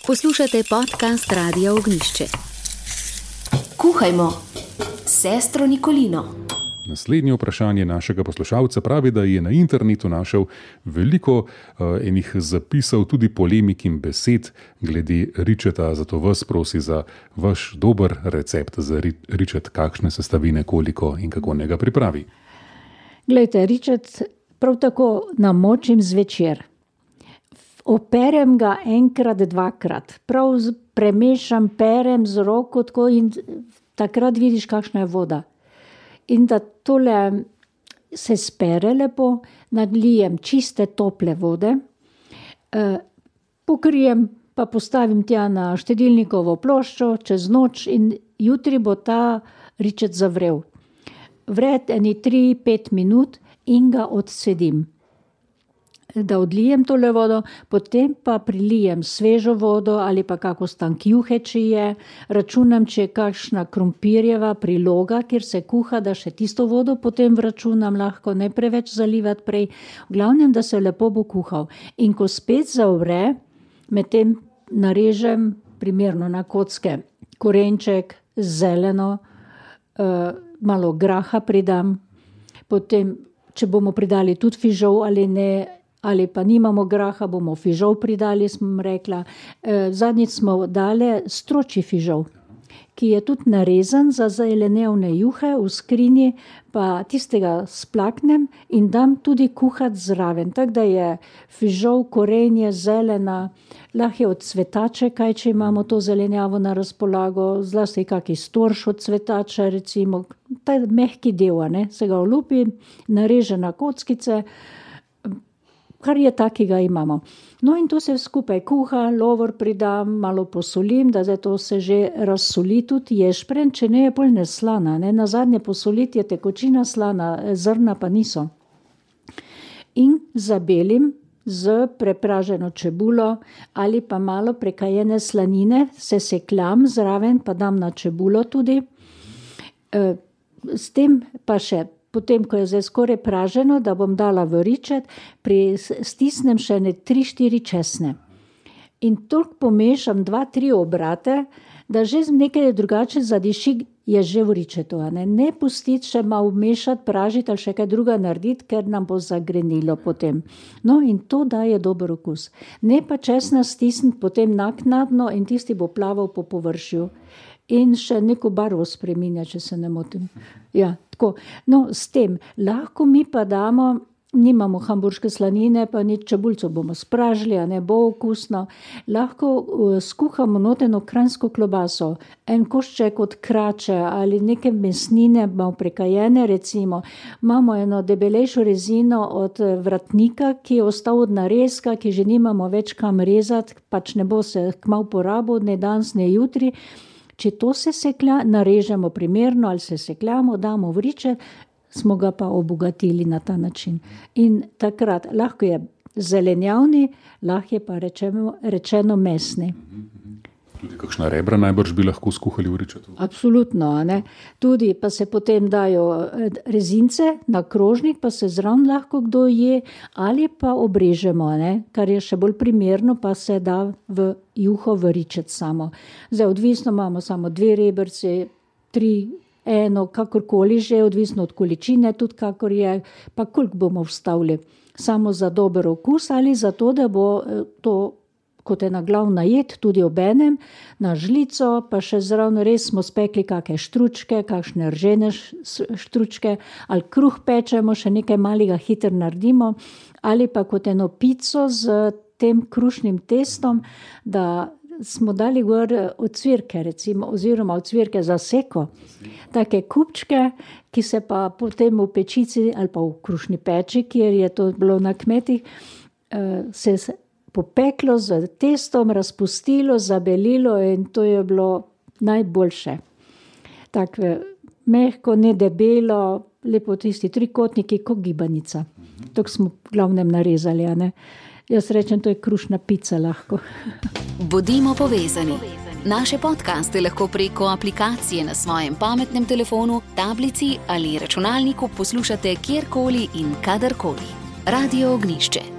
Poslušate podcast Radia Ognišče. Kuhajmo s sestro Nikolino. Naslednje vprašanje našega poslušalca pravi, da je na internetu našel veliko enih zapisov, tudi polemik in besed glede ričeta, zato vas prosi za vaš dober recept za ričet, kakšne sestavine, koliko in kako njega pripravi. Glejte, ričet prav tako namočim zvečer. Operem ga enkrat, dvakrat. Prav premešam, perem z roko tako in takrat vidiš, kakšna je voda. In da tole se spere lepo, nadlijem čiste tople vode, pokrijem pa postavim tja na štedilnikovo ploščo čez noč in jutri bo ta ričet zavrel. Vre eni 3-5 minut in ga odsedim. Da odlijem tole vodo, potem pa prilijem svežo vodo ali pa kako stank juhe, če je. Računam, če je kakšna krompirjeva priloga, kjer se kuha, da še tisto vodo potem vračunam, lahko ne preveč zalivati prej. V glavnem, da se lepo bo kuhal. In ko spet zavre, medtem narežem primerno na kocke korenček, zeleno, malo graha pridam, potem, če bomo pridali tudi fižol ali ne, ali pa nimamo graha, bomo fižol pridali, sem rekla. Zadnjič smo dali stročji fižol, ki je tudi narezan za zelenjavne juhe v skrinji, pa tistega splaknem in dam tudi kuhati zraven. Tako da je fižol, korenje, zelena, lahko je od cvetače, kaj če imamo to zelenjavo na razpolago, zlasti kaki storš od cvetača, recimo, ta mehki del, ne, se ga olupi, nareže na kockice, kar je takega imamo. No in to se skupaj kuha, lovor pridam, malo posolim, da zdaj to se že razsoli tudi ješprenj, če ne je bolj neslana, ne, nazadnje posoliti je tekočina slana, zrna pa niso. In zabelim z prepraženo čebulo ali pa malo prekajene slanine, se sekljam zraven, pa dam na čebulo tudi. S tem pa še potem, ko je zdaj skoraj praženo, da bom dala v ričet, stisnem še 3-4 česne. In toliko pomešam 2-3 obrate, da že nekaj drugače zadiši, je že v ričetu. Ne pustiti še malo mešati, pražiti ali še kaj druga narediti, ker nam bo zagrenilo potem. No in to daje dober okus. Ne pa česna stisniti potem naknadno in tisti bo plaval po površju. In še neko barvo spreminja, če se ne motim. Ja, tako. No, s tem lahko mi pa damo, nimamo hamburške slanine, pa nič čebulco bomo spražili, a ne bo okusno. Lahko skuhamo noteno kranjsko klobaso, en košček od krače ali neke mesnine, malo prekajene recimo. Imamo eno debelejšo rezino od vratnika, ki je ostal od narezka, ki že nimamo več kam rezati, pač ne bo se kmalu porabil, ne danes, ne jutri. Če to se seklja, narežemo primerno ali se sekljamo, damo v ričet, smo ga pa obogatili na ta način. In takrat lahko je zelenjavni, lahko je pa rečeno mesni. Tudi kakšna rebra najbrž bi lahko skuhali v ričetu? Absolutno, ne. Tudi pa se potem dajo rezince na krožnik, pa se zraven lahko kdo je, ali pa obrežemo, ne, kar je še bolj primerno, pa se da v juho v ričet samo. Zdaj odvisno imamo samo 2 rebrci, 3, 1, kakorkoli že, odvisno od količine, tudi kakor je, pa koliko bomo vstavili. Samo za dober okus ali za to, da bo to kot ena glavna jed, tudi obenem, na žlico, pa še zraven res smo spekli kakšne štručke, kakšne ržene štručke, ali kruh pečemo, še nekaj malega hitro naredimo, ali pa kot eno pico z tem krušnim testom, da smo dali gor ocvirke, recimo, oziroma ocvirke za seko, take kupčke, ki se pa potem v pečici ali pa v krušni peči, kjer je to bilo na kmetih, se popeklo z testom, razpustilo, zabelilo in to je bilo najboljše. Tako mehko, ne debelo, lepo tisti trikotniki, kot gibanica. Tako smo v glavnem narezali, a ne. Jaz rečem, to je krušna pica lahko. Bodimo povezani. Naše podcaste lahko preko aplikacije na svojem pametnem telefonu, tablici ali računalniku poslušate kjerkoli in kadarkoli. Radio Ognišče.